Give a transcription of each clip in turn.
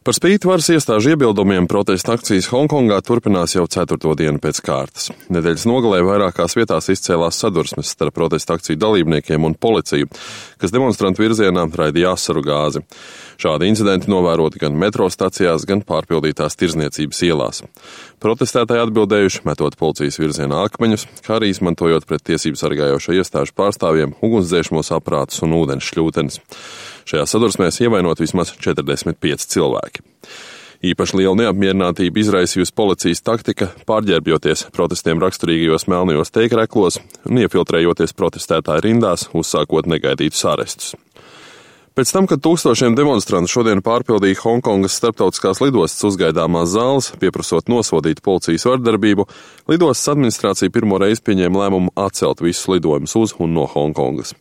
Par spīti varas iestāžu iebildumiem protesta akcijas Honkongā turpinās jau 4. dienu pēc kārtas. Nedēļas nogalē vairākās vietās izcēlās sadursmes starp protesta akciju dalībniekiem un policiju, kas demonstrantu virzienā raidīja asaru gāzi. Šādi incidenti novēroti gan metro stacijās, gan pārpildītās tirzniecības ielās. Protestētāji atbildējuši, metot policijas virzienā akmeņus, kā arī izmantojot pret tiesību sargājošo iestāžu pārstāvjiem ugunsdzēsmos aparātus un ūdens šļūtenes. Šajā sadursmēs ievainot vismaz 45 cilvēki. Īpaši liela neapmierinātība izraisījusi policijas taktika, pārģērbjoties protestiem raksturīgajos melnajos teikreklos un iefiltrējoties protestētāju rindās, uzsākot negaidītus arestus. Pēc tam, kad tūkstošiem demonstrantu šodien pārpildīja Hongkongas starptautiskās lidostas uzgaidāmās zāles, pieprasot nosodīt policijas vardarbību, lidostas administrācija pirmo reizi pieņēma lēmumu atcelt visus lidojumus uz un no Hongkongas.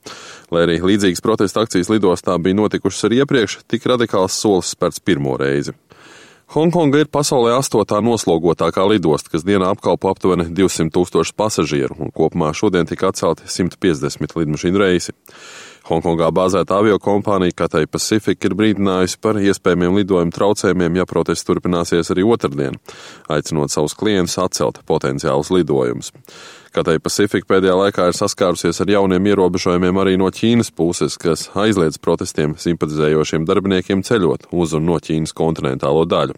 Lai arī līdzīgas protesta akcijas lidostā bija notikušas arī iepriekš, tik radikāls solis spērts pirmo reizi. Hongkonga ir pasaulē 8. noslogotākā lidosta, kas dienā apkalpo aptuveni 200,000 pasažieru, un kopumā šodien tika atcelti 150 lidmašīnu reisi. Hongkongā bāzēta aviokompānija Cathay Pacific ir brīdinājusi par iespējamiem lidojumu traucējumiem, ja protests turpināsies arī otrdien, aicinot savus klientus atcelt potenciālus lidojumus. Cathay Pacific pēdējā laikā ir saskārusies ar jauniem ierobežojumiem arī no Ķīnas puses, kas aizliedz protestiem simpatizējošiem darbiniekiem ceļot uz un no Ķīnas kontinentālo daļu.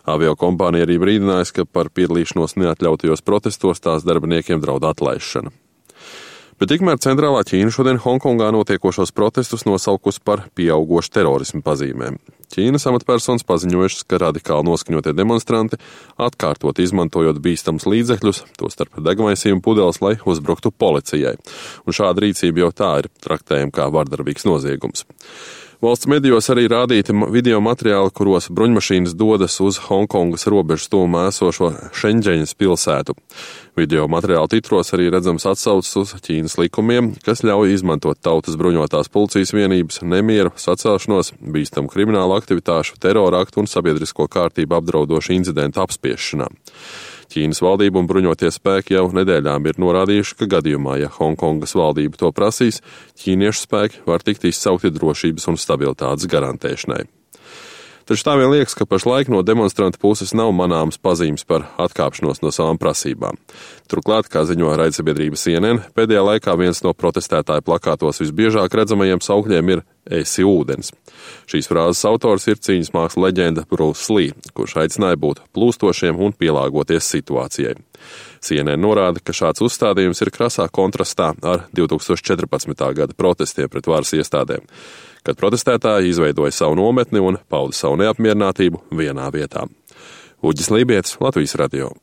Aviokompānija arī brīdinājusi, ka par piedalīšanos neatļautajos protestos tās darbiniekiem draud atlaišana. Bet tikmēr centrālā Ķīna šodien Hongkongā notiekošos protestus nosaukusi par pieaugošu terorismu pazīmēm. Ķīnas amatpersonas paziņojušas, ka radikāli noskaņotie demonstranti atkārtot izmantojot bīstams līdzekļus, tostarp degmaisījumu pudeles, lai uzbruktu policijai. Un šāda rīcība jau tā ir traktējama kā vardarbīgs noziegums. Valsts medijos arī rādīti video materiāli, kuros bruņmašīnas dodas uz Hongkongas robežas tuvumā esošo Šenģeņas pilsētu. Video materiāla titros arī redzams atsauces uz Ķīnas likumiem, kas ļauj izmantot tautas bruņotās policijas vienības, nemieru, sacelšanos, bīstamu kriminālu aktivitāšu, terora aktu un sabiedrisko kārtību apdraudošu incidentu apspiešanā. Ķīnas valdība un bruņotie spēki jau nedēļām ir norādījuši, ka gadījumā, ja Hongkongas valdība to prasīs, ķīniešu spēki var tikt izsaukti drošības un stabilitātes garantēšanai. Taču tā vien liekas, ka pašlaik no demonstrantu puses nav manāmas pazīmes par atkāpšanos no savām prasībām. Turklāt, kā ziņo raidsabiedrība CNN, pēdējā laikā viens no protestētāju plakātos visbiežāk redzamajiem saukļiem ir "Esi ūdens". Šīs frāzes autors ir cīņas mākslas leģenda Bruce Lee, kurš aicināja būt plūstošiem un pielāgoties situācijai. CNN norāda, ka šāds uzstādījums ir krasā kontrastā ar 2014. gada protestiem pret varas iestādēm, kad protestētāji izveidoja savu nometni un pauda savu neapmierinātību vienā vietā. Uģis Lībietis, Latvijas radio.